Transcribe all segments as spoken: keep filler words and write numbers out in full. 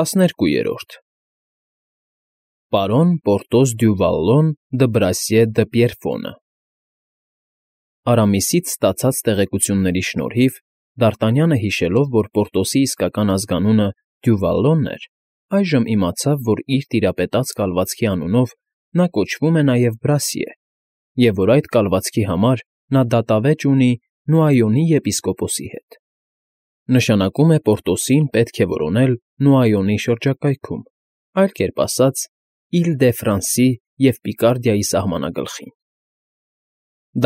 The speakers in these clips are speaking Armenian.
ՏԱՍՆԵՐԿՈՒԵՐՈՐԴ Պարոն Պորտոս դյու Վալլոն դը Բրասիե դը Պիերֆոնը Արամիսից ստացած տեղեկությունների շնորհիվ Դ'Արտանյանը հիշելով, որ Պորտոսի իսկական ազգանունը Դյուվալլոնն էր, այժմ իմացավ, որ իր տիրապետած կալվածքի անունով նա կոչվում է նաև Բրասիե, և որ այդ կալվածքի համար նա դատավեճ ունի Նուայոնի եպիսկոպոսի հետ. նշանակում է Պորտոսին պետք է որոնել Նուայոնի շրջակայքում, այլ կերպ ասած, Իլ֊դե֊Ֆրանսի և Պիկարդիայի սահմանագլխին։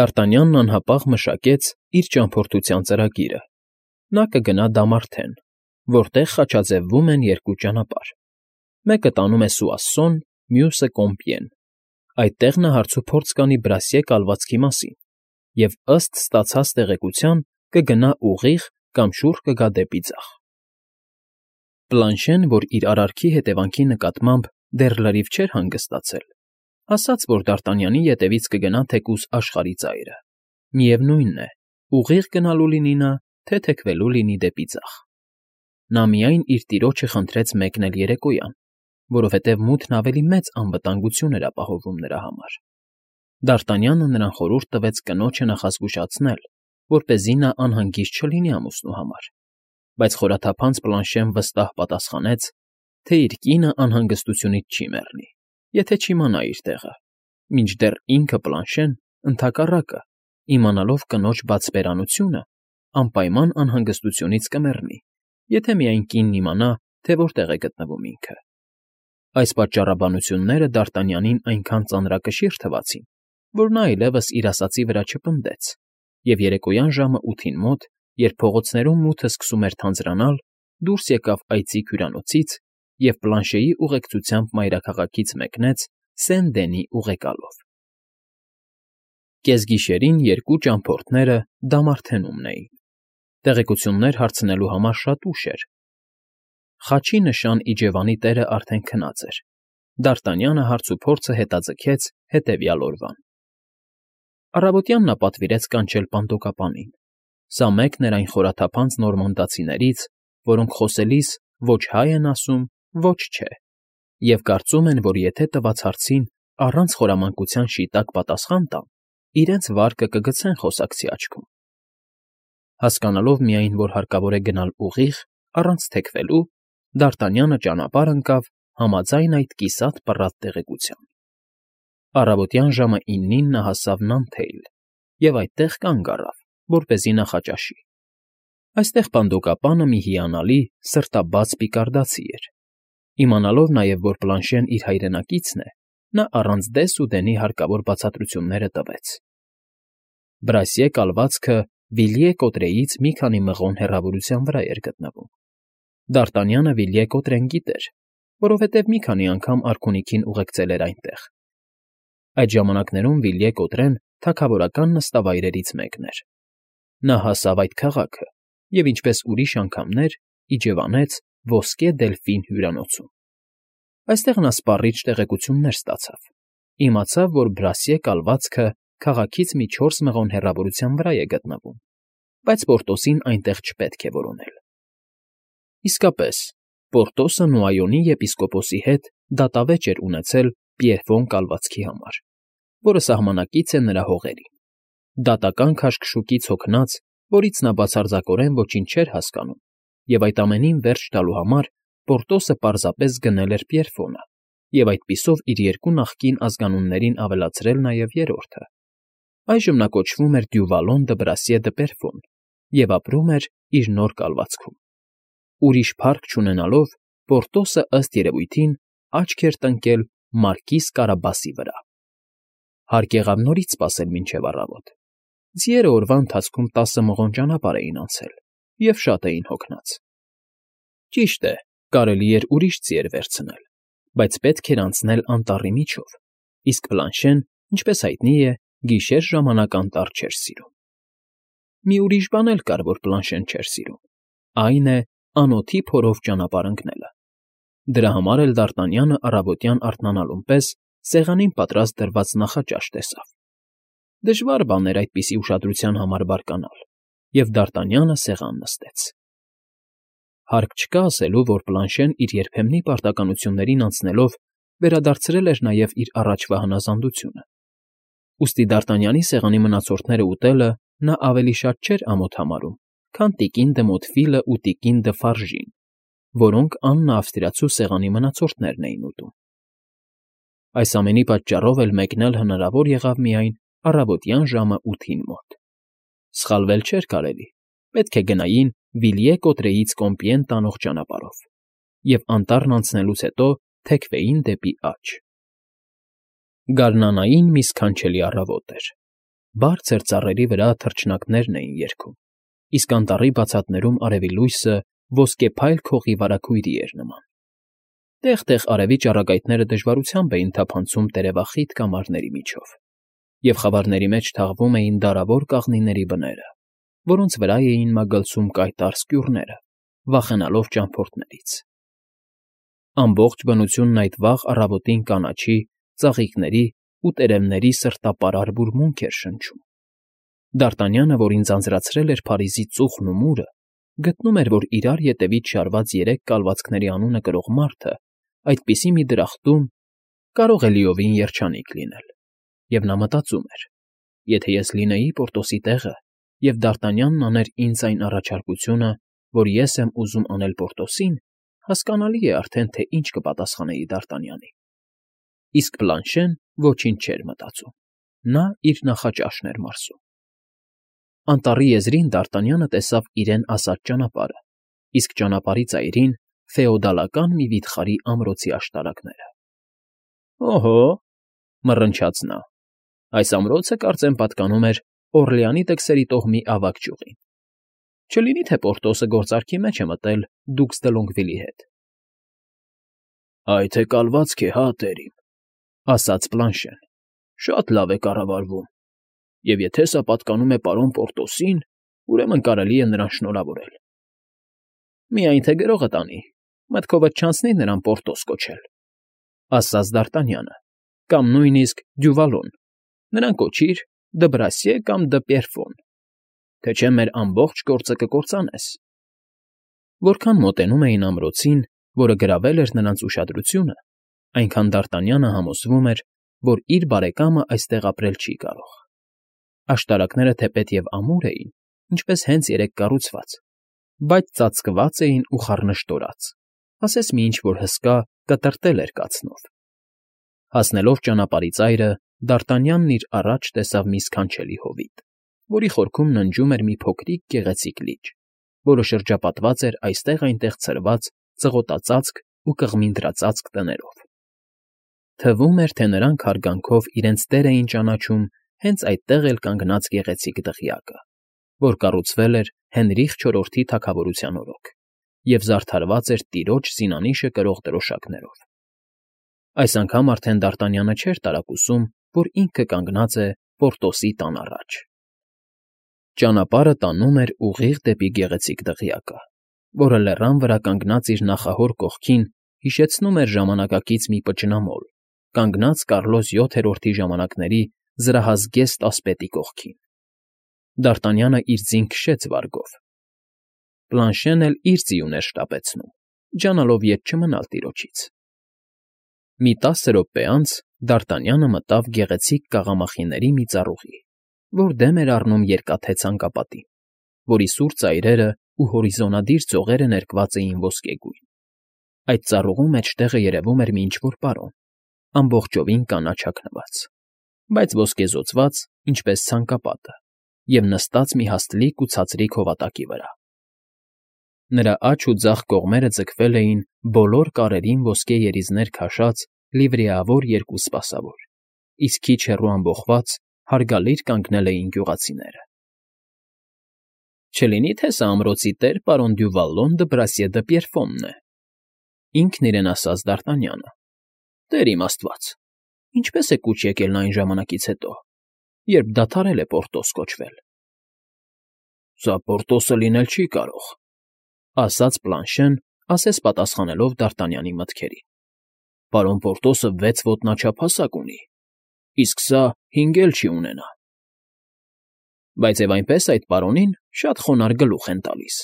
Դ'Արտանյանն անհապաղ մշակեց իր ճամփորդության ծրագիրը. նա կգնա Դամարթեն, որտեղ խաչաձևվում են երկու ճանապարհ. մեկը տանում է Սուասսոն, մյուսը՝ Կոմպիեն. այդտեղ նա հարցուփորձ կանի Բրասիե կալվածքի մասին և, ըստ ստացած տեղեկության, կգնա ուղիղ կամ շուռ կգա դեպի ձախ։ Պլանշեն, որ իր արարքի հետևանքի նկատմամբ դեռ լրիվ չէր հանգստացել, ասաց, որ Դ'Արտանյանի ետևից կգնա թեկուզ աշխարհի ծայրը, միևնույնն է, ուղիղ գնալու լինի նա, թե թեքվելու լինի դեպի ձախ։ Նա միայն իր տիրոջը խնդրեց մեկնել երեկոյան, որովհետև մութն ավելի մեծ անվտանգություն էր ապահովում նրա համար։ Դ'Արտանյանը նրան խորհուրդ տվեց կնոջը նախազգուշացնել, որպեսզի նա անհանգիստ չլինի ամուսնու համար, բայց խորաթափանց Պլանշեն վստահ պատասխանեց, թե իր կինը անհանգստությունից չի մեռնի, եթե չիմանա իր տեղը, մինչդեռ ինքը՝ Պլանշեն, ընդհակառակը, իմանալով կնոջ բացպերանությունը, անպայման անհանգստությունից կմեռնի, եթե միայն կինն իմանա, թե որտեղ է գտնվում ինքը։ Այս պատճառաբանությունները Դ'Արտանյանին այնքան ծանրակշիռ թվացին, որ նա այլևս իր ասածի վրա չպնդեց և երեկոյան ժամը ութին մոտ, երբ փողոցներում մութը սկսում էր թանձրանալ, դուրս եկավ այծիկ հյուրանոցից և Պլանշեի ուղեկցությամբ մայրաքաղաքից մեկնեց Սեն֊Դենի ուղեկալով։ Կեսգիշերին երկու ճամփորդները Դամարթենում էին։ Տեղեկություններ հարցնելու համար շատ ուշ էր։ Խաչի նշան իջևանի տերը արդեն քնած էր։ Դ'Արտանյանը հարցուփորձը հետաձգեց հետևյալ օրվան. Առավոտյան նա պատվիրեց կանչել պանդոկապանին։ Սա մեկն էր այն խորաթափանց նորմանդացիներից, որոնք խոսելիս ոչ հայ են ասում, ոչ չէ, և կարծում են, որ եթե տված հարցին առանց խորամանկության շիտակ պատասխան տան, իրենց վարկը կգցեն խոսակցի աչքում։ Հասկանալով միայն, որ հարկավոր է գնալ ուղիղ, առանց թեքվելու, Դ'Արտանյանը ճանապարհ ընկավ համաձայն այդ կիսատ պռատ տեղեկության։ Առավոտյան ժամը իննին նա հասավ Նանթեյլ և այդտեղ կանգ առավ, որպեսզի նախաճաշի։ Այստեղ պանդոկապանը մի հիանալի, սրտաբաց պիկարդացի էր։ Իմանալով նաև, որ Պլանշեն իր հայրենակիցն է, նա առանց դես ու դենի հարկավոր բացատրությունները տվեց։ Բրասիե կալվածքը Վիլյե Կոտրեից մի քանի մղոն հեռավորության վրա էր գտնվում։ Դ'Արտանյանը Վիլյե Կոտրեն գիտեր, որովհետև մի քանի անգամ արքունիքին ուղեկցել էր այնտեղ։ Այդ ժամանակներում Վիլյե Կոտրեն թագավորական նստավայրերից մեկն էր։ Նա հասավ այդ քաղաքը և, ինչպես ուրիշ անգամներ, իջևանեց Ոսկե Դելֆին հյուրանոցում։ Այստեղ նա սպառիչ տեղեկություններ ստացավ։ Իմացավ, որ Բրասիե կալվածքը քաղաքից մի չորս մղոն հեռավորության վրա է գտնվում, բայց Պորտոսին այնտեղ չպետք է որոնել։ Իսկապես, Պորտոսը Նուայոնի եպիսկոպոսի հետ դատավեճ էր ունեցել Պիերֆոն կալվածքի համար, որը սահմանակից է նրա հողերին։ Դատական քաշքշուկից հոգնած, որից նա բացարձակորեն ոչինչ չէր հասկանում, և այդ ամենին վերջ տալու համար Պորտոսը պարզապես գնել էր Պիերֆոնը և այդպիսով իր երկու նախկին ազգանուններին ավելացրել նաև երրորդը։ Այժմ նա կոչվում էր Դյուվալոն դը Բրասիե դը Պիերֆոն և ապրում էր իր նոր կալվածքում։ Ուրիշ փառք չունենալով, Պորտոսը, ըստ երևույթին, աչք էր տնկել մարկիզ Կարաբասի վրա։ Հարկ եղավ նորից սպասել մինչև առավոտ։ Ձիերը օրվա ընթացքում տասը մղոն ճանապարհ էին անցել և շատ էին հոգնած։ Ճիշտ է, կարելի էր ուրիշ ձիեր վերցնել, բայց պետք էր անցնել անտառի միջով, իսկ Պլանշեն, ինչպես հայտնի է, գիշեր ժամանակ անտառ չէր սիրում։ Մի ուրիշ բան էլ կար, որ Պլանշեն չէր սիրում, այն է անոթի փորով ճանապարհ ընկնելը։ Դրա համար էլ Դ'Արտանյանը առավոտյան արթնանալուն պես սեղանին պատրաստ դրված նախաճաշ տեսավ։ Դժվար բան էր այդպիսի ուշադրության համար բարկանալ, և Դ'Արտանյանը սեղան նստեց։ Հարկ չկա ասելու, որ Պլանշեն իր երբեմնի պարտականություններին անցնելով վերադարձրել էր նաև իր առաջվա հնազանդությունը, ուստի Դ'Արտանյանի սեղանի մնացորդները ուտելը նա ավելի շատ չէր ամոթ համարում, քան տիկին դը Մոտֆիլն ու տիկին դը Ֆարժին, որոնք Աննա ավստրիացու սեղանի մնացորդներն էին ուտում։ Այս ամենի պատճառով էլ մեկնել հնարավոր եղավ միայն առավոտյան ժամը ութին մոտ։ Սխալվել չէր կարելի, պետք է գնային Վիլյե Կոտրեից Կոմպիեն տանող ճանապարհով և անտառն անցնելուց հետո թեքվեին դեպի աջ։ Գարնանային մի սքանչելի առավոտ էր։ Բարձր ծառերի վրա թռչնակներն էին երգում, իսկ անտառի բացատներում արևի լույսը ոսկեփայլ քողի վարագույրի էր նման։ Տեղ֊տեղ արևի ճառագայթները դժվարությամբ էին թափանցում տերևախիտ կամարների միջով, և խավարների մեջ թաղվում էին դարավոր կաղնիների բները, որոնց վրա էին մագլցում կայտառ սկյուռները, վախենալով ճամփորդներից։ Ամբողջ բնությունն այդ վաղ առավոտին կանաչի, ծաղիկների ու տերևների սրտապարար բուրմունք էր շնչում։ Դ'Արտանյանը, որին ձանձրացրել էր Փարիզի ծուխն ու մուրը, գտնում էր, որ իրար ետևից շարված երեք կալվածքների անունը կրող մարդը այդպիսի մի դրախտում կարող է լիովին երջանիկ լինել, և նա մտածում էր. եթե ես լինեի Պորտոսի տեղը, և Դ'Արտանյանն աներ ինձ այն առաջարկությունը, որ ես եմ ուզում անել Պորտոսին, հասկանալի է արդեն, թե ինչ կպատասխանեի Դ'Արտանյանին։ Իսկ Պլանշեն ոչինչ չէր մտածում, նա իր նախաճաշն էր մարսում։ Անտառի եզրին Դ'Արտանյանը տեսավ իրեն ասած ճանապարհը, իսկ ճանապարհի ծայրին ֆեոդալական մի վիթխարի ամրոցի աշտարակները։ «Օհո՜», մռնչաց նա, «այս ամրոցը, կարծեմ, պատկանում էր Օռլեանի տքսերի տոհմի ավագ ճյուղին։ Չլինի՞ թե Պորտոսը գործարքի մեջ է մտել դուքս դը Լոնգվիլի հետ»։ «Այ թե կալվածք է, հա, տեր իմ», ասաց Պլանշեն, «շատ լավ է կառավարվում, և եթե սա պատկանում է պարոն Պորտոսին, ուրեմն կարելի է նրան շնորհավորել»։ «Միայն թե գրողը տանի, մտքովդ չանցնի նրան Պորտոս կոչել», ասաց Դ'Արտանյանը, «կամ նույնիսկ Դյուվալոն, նրան կոչիր Դ'Բրասիե կամ Դ'Պիեռֆոն, թե չէ մեր ամբողջ գործը կկործանես»։ Որքան մոտենում էին ամրոցին, որը գրավել էր նրանց ուշադրությունը, այնքան Դ'Արտանյանը համոզվում էր, որ իր բարեկամը այստեղ ապրել չի կարող։ Աշտարակները թեպետ և ամուր էին, ինչպես հենց երեկ կառուցված, բայց ծածկված էին ու խառնշտորած, ասես մի ինչ֊որ հսկա կտրտել էր կացնով։ Հասնելով ճանապարհի ծայրը, Դ'Արտանյանն իր առաջ տեսավ մի սքանչելի հովիտ, որի խորքում ննջում էր մի փոքրիկ գեղեցիկ լիճ, որը շրջապատված էր այստեղ֊այնտեղ ցրված ծղոտածածկ ու կղմինդրածածկ տներով։ Թվում էր, թե նրանք հարգանքով իրենց տեր էին ճանաչում հենց այդտեղ էլ կանգնած գեղեցիկ դղյակը, որ կառուցվել էր Հենրիխ չորրորդի թագավորության օրոք և զարդարված էր տիրոջ զինանիշը կրող դրոշակներով։ Այս անգամ արդեն Դ'Արտանյանը չէր տարակուսում, որ ինքը կանգնած է Պորտոսի տան առաջ։ Ճանապարհը տանում էր ուղիղ դեպի գեղեցիկ դղյակը, որը լեռան վրա կանգնած իր նախահոր կողքին հիշեցնում էր ժամանակակից մի պճնամոլ, կանգնած Կառլոս յոթերորդի ժամանակների զրահազգեստ ասպետի կողքին։ Դ'Արտանյանը իր ձին քշեց վարգով։ Պլանշեն էլ իր ձիուն էր շտապեցնում, ջանալով ետ չմնալ տիրոջից։ Մի տասը րոպե անց Դ'Արտանյանը մտավ գեղեցիկ կաղամախիների մի ծառուղի, որ դեմ էր առնում երկաթե ցանկապատին, որի սուր ծայրերը ու հորիզոնադիր ծողերը ներկված էին ոսկեգույն։ Այդ ծառուղու մեջտեղը երևում էր մի ինչ֊որ պարոն, ամբողջովին կանաչ հագնված, բայց ոսկեզօծված, ինչպես ցանկապատը, և նստած մի հաստլիկ ու ցածրիկ հովատակի վրա։ Նրա աջ ու ձախ կողմերը ձգվել էին բոլոր կարերին ոսկե երիզներ քաշած լիվրեավոր երկու սպասավոր, իսկ քիչ հեռու ամբոխված հարգալից կանգնել էին գյուղացիները։ «Չլինի՞ թե սա ամրոցի տեր պարոն Դյուվալոն Դ'Բրասիե Դ'Պիեռֆոնն է», ինքն իրեն ասաց Դ'Արտանյանը։ «Տեր իմ աստված, ինչպե՞ս է կուչ եկել նա այն ժամանակից հետո, երբ դադարել է Պորտոս կոչվել»։ «Սա Պորտոսը լինել չի կարող», ասաց Պլանշեն, ասես պատասխանելով Դ'Արտանյանի մտքերին։ «Պարոն Պորտոսը վեց ոտնաչափ հասակ ունի, իսկ սա հինգ էլ չի ունենա»։ «Բայց և այնպես այդ պարոնին շատ խոնարհ գլուխ են տալիս»։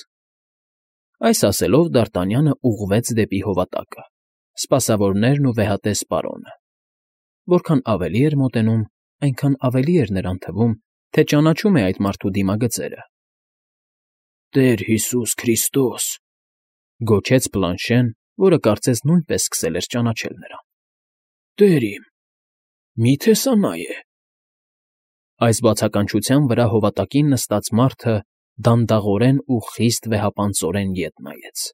Այս ասելով Դարտանյանը ուղղվեց դեպի հովատակը, սպասավորներն ու վեհատես պարոնը. որքան ավելի էր մոտենում, այնքան ավելի էր նրան թվում, թե ճանաչում է այդ մարդու դիմագծերը։ «Տեր Հիսուս Քրիստոս», գոչեց Պլանշեն, որը կարծես նույնպես սկսել էր ճանաչել նրան։ «Տեր իմ, մի՞թե սա նա է»։ Այս բացականչության վրա հովատակին նստած մարդը դանդաղորեն ու խիստ վեհապանծորեն ետ նայեց,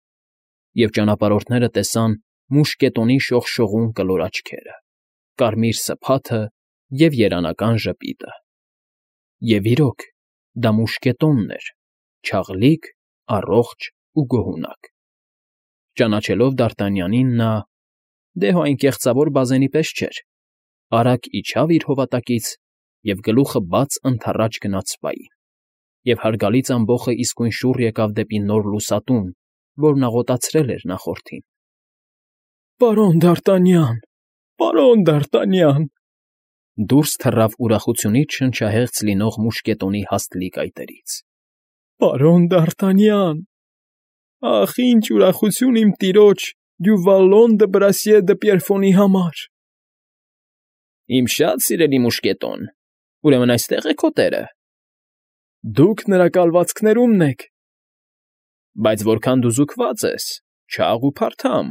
և ճանապարհորդները տեսան մուշկետոնի շողշողուն կլոր աչքերը, կարմիր սփաթը և երանական ժպիտը։ Եվ իրոք, դա մուշկետոնն էր, չաղլիկ, առողջ ու գոհունակ։ Ճանաչելով Դարտանյանին, նա դե հո այն կեղծավոր բազենի պես չէր, արագ իջավ իր հովատակից և գլուխը բաց ընդառաջ գնաց սպային, և հարգալից ամբոխը իսկույն շուռ եկավ դեպի նոր լուսատուն, որն աղոտացրել էր նախորդին։ «Պարոն Դարտանյան, պարոն Դարտանյան», դուրս թռավ ուրախությունից շնչահեղձ լինող մուշկետոնի հաստլիկ այտերից։ «Պարոն Դարտանյան, ախ, ինչ ուրախություն իմ տիրոջ Դյուվալոն դը Բրասիե դը Պիերֆոնի համար»։ «Իմ շատ սիրելի մուշկետոն, ուրեմն այստե՞ղ է քո տերը»։ «Դուք նրա կալվածքներումն եք»։ «Բայց որքան դու զուգված ես, չաղ ու փարթամ»,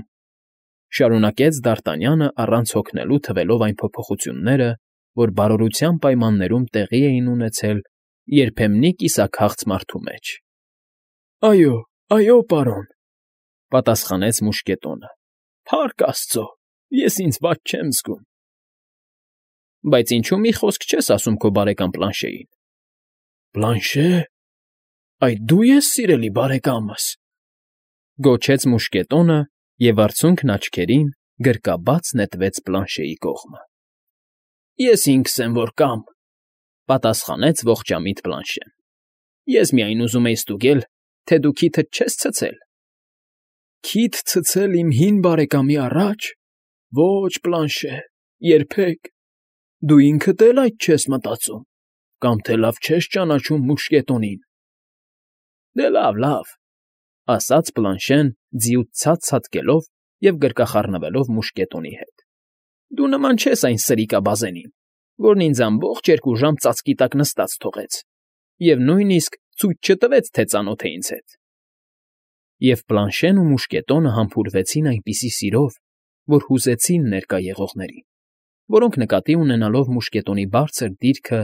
շարունակեց Դարտանյանը առանց հոգնելու թվելով այն փոփոխությունները, որ բարօրության պայմաններում տեղի էին ունեցել երբեմնի կիսաքաղց մարդու մեջ։ «Այո, այո, պարոն», պատասխանեց մուշկետոնը։ «Փառք Աստծո, ես ինձ վատ չեմ զգում»։ «Բայց ինչու մի խոսք չես ասում քո բարեկամ Պլանշեին»։ «Պլանշե՞, այդ դու ես, սիրելի բարեկամս», գոչեց մուշկետոնը և արցունքն աչքերին գրկաբաց նետվեց Պլանշեի կողմը։ «Ես ինքս եմ, որ կամ», պատասխանեց ողջամիտ Պլանշեն։ «Ես միայն ուզում էի ստուգել, թե դու քիթդ չես ցցել»։ «Քիթ ցցել իմ հին բարեկամի առաջ։ Ո՛չ, Պլանշե, երբեք։ Դու ինքդ էլ այդ չես մտածում, կամ թե լավ չես ճանաչում մուշկետոնին»։ «Դե լավ, լավ», ասաց Պլանշեն, ձիուց ցած ցատկելով և գրկախառնվելով մուշկետոնի հետ։ «Դու նման չես այն սրիկաբազենին, որն ինձ ամբողջ երկու ժամ ծածկի տակ նստած թողեց և նույնիսկ ցույց չտվեց, թե ծանոթ է ինձ հետ»։ Եվ Պլանշեն ու մուշկետոնը համբուրվեցին այնպիսի սիրով, որ հուզեցին ներկա եղողներին, որոնք նկատի ունենալով մուշկետոնի բարձր դիրքը,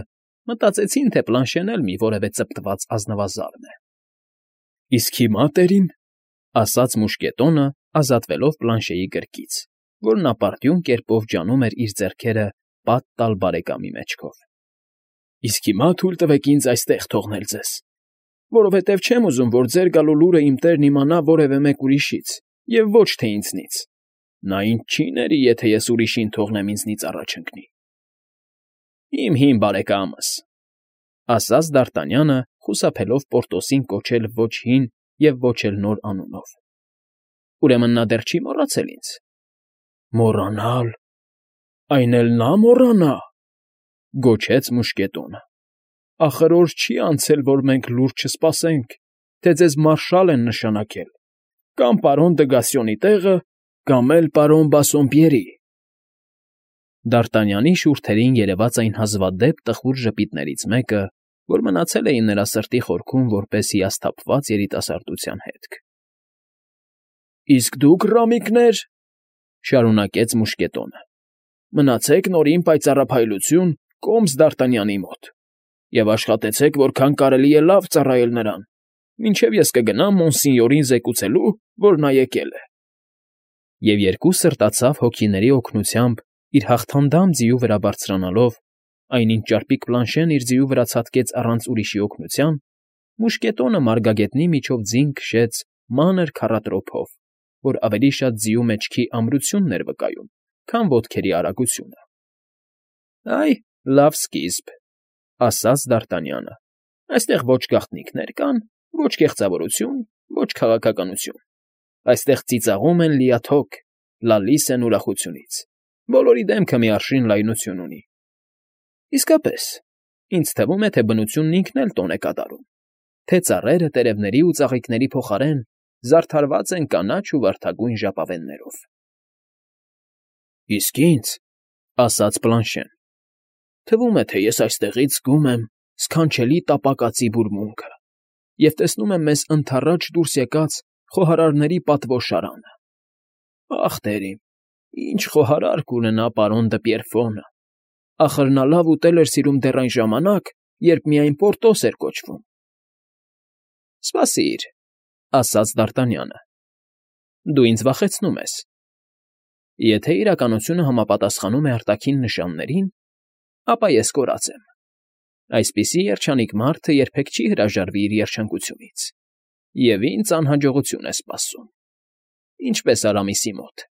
մտածեցին, թե Պլանշեն էլ մի որևէ ծպտված ազնվազարդ է։ «Իսկ հիմա, տերին», ասաց մուշկետոնը, ազատվելով Պլանշեի գրկից, որն ապարդյուն կերպով ջանում էր իր ձեռքերը պատ տալ բարեկամի մեջքով։ «Իսկ հիմա թույլ տվեք ինձ այստեղ թողնել ձեզ, որովհետև չեմ ուզում, որ ձեր գալու լուրը իմ տերն իմանա որևէ մեկ ուրիշից և ոչ թե ինձնից։ Նա ինձ չի ների, եթե ես ուրիշին թողնեմ ինձնից առաջ ընկնի»։ «Իմ հին բարեկամս», ասաց Դարտանյանը, խուսափելով Պորտոսին կոչել ոչ հին և ոչ էլ նոր անունով։ «Ուրեմն նա դեռ չի մոռացել ինձ»։ «Մոռանալ, այն էլ նա մոռանա», գոչեց մուշկետոնը։ «Ախր օր չի անցել, որ մենք լուր չսպասենք, թե ձեզ մարշալ են նշանակել, կամ պարոն Դգասյոնի տեղը, կամ էլ պարոն Բասսոմպյերի»։ Դարտանյանի շուրթերին երևաց այն հազվադեպ տխուր ժպիտներից մեկը, որ մնացել էին նրա սրտի խորքում որպես հիասթափված երիտասարդության հետք։ «Իսկ դուք, ռամիկներ», շարունակեց մուշկետոնը, «մնացեք նորին պայծառափայլություն կոմս Դարտանյանի մոտ և աշխատեցեք, որքան կարելի է լավ ծառայել նրան, մինչև ես կգնամ Մոնսինյորին զեկուցելու, որ նա եկել է»։ Եվ երկու սրտացավ հոգիների օգնությամբ իր հաղթանդամ ձիու վրա բարձրանալով, այնինչ ճարպիկ Պլանշեն իր ձիու վրա ցատկեց առանց ուրիշի օգնության, մուշկետոնը մարգագետնի միջով ձին քշեց մանր քառատրոփով, որ ավելի շատ ձիու մեջքի ամրությունն էր վկայում, քան ոտքերի արագությունը։ «Այ, լավ սկիզբ», ասաց Դարտանյանը։ «Այստեղ ոչ գաղտնիքներ կան, ոչ կեղծավորություն, ոչ քաղաքականություն։ Այստեղ ծիծաղում են լիաթոք, լալիս են ուրախությունից, բոլորի դեմքը մի արշին լայնություն ունի։ Իսկապես, ինձ թվում է, թե բնությունն ինքն էլ տոն է կատարում, թե ծառերը տերևների ու ծաղիկների փոխարեն զարդարված են կանաչ ու վարդագույն ժապավեններով։ ֊ Իսկ ինձ,֊ ասաց Պլանշեն,֊ թվում է, թե ես այստեղից զգում եմ սքանչելի տապակածի բուրմունքը և տեսնում եմ մեզ ընդառաջ դուրս եկած խոհարարների պատվո շարանը… Ախ, տեր իմ, ինչ խոհարար կունենա պարոն Դպիրֆոնը… Ախր նա լավ ուտել էր սիրում դեռ այն ժամանակ, երբ միայն Պորտոս էր կոչվում։ ֊ Սպասիր,֊ ասաց Դ'Արտանյանը,֊ դու ինձ վախեցնում ես… Եթե իրականությունը համապատասխանում է արտաքին նշաններին, ապա ես կորած եմ… Այսպիսի երջանիկ մարդը երբեք չի հրաժարվի իր երջանկությունից, և ինձ անհաջողություն է սպասում, ինչպես Արամիսի մոտ։